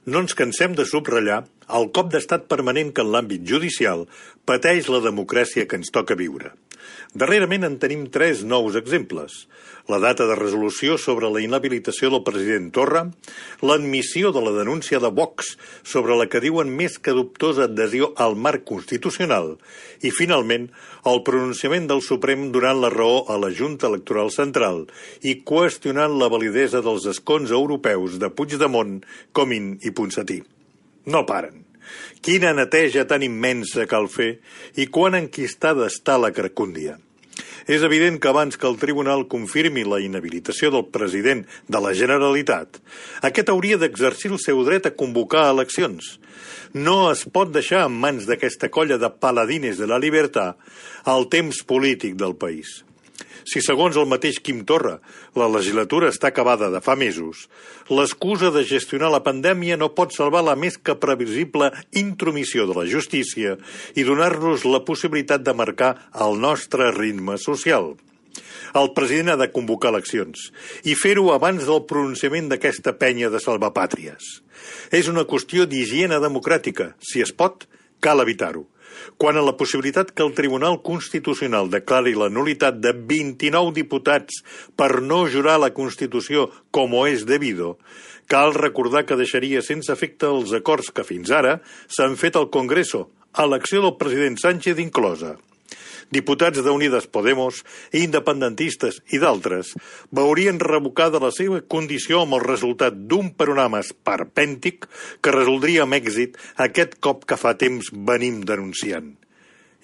No ens cansem de subratllar el cop d'estat permanent que en l'àmbit judicial pateix la democràcia que ens toca viure. Darrerament en tenim 3 nous exemples. La data de resolució sobre la inhabilitació del president Torra, l'admissió de la denúncia de Vox sobre la que diuen més que dubtosa adhesió al marc constitucional i, finalment, el pronunciament del Suprem donant la raó a la Junta Electoral Central i qüestionant la validesa dels escons europeus de Puigdemont, Comín i Ponsatí. No paren. Quina neteja tan immensa cal fer i quan enquistada està la carcúndia. És evident que abans que el tribunal confirmi la inhabilitació del president de la Generalitat, aquest hauria d'exercir el seu dret a convocar eleccions. No es pot deixar en mans d'aquesta colla de paladines de la libertat el temps polític del país. Si, segons el mateix Quim Torra, la legislatura està acabada de fa mesos, l'excusa de gestionar la pandèmia no pot salvar la més que previsible intromissió de la justícia i donar-nos la possibilitat de marcar el nostre ritme social. El president ha de convocar eleccions i fer-ho abans del pronunciament d'aquesta penya de salvapàtries. És una qüestió d'higiene democràtica. Si es pot, cal evitar-ho. Quant a la possibilitat que el Tribunal Constitucional declari la nul·litat de 29 diputats per no jurar la Constitució com és debido, cal recordar que deixaria sense efecte els acords que fins ara s'han fet al Congreso, a elecció del president Sánchez inclosa. Diputats d'Unides Podemos, independentistes i d'altres veurien revocada la seva condició amb el resultat d'un panorama esperpèntic que resoldria amb èxit aquest cop que fa temps venim denunciant.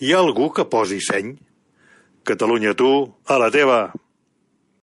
Hi ha algú que posi seny? Catalunya, tu, a la teva!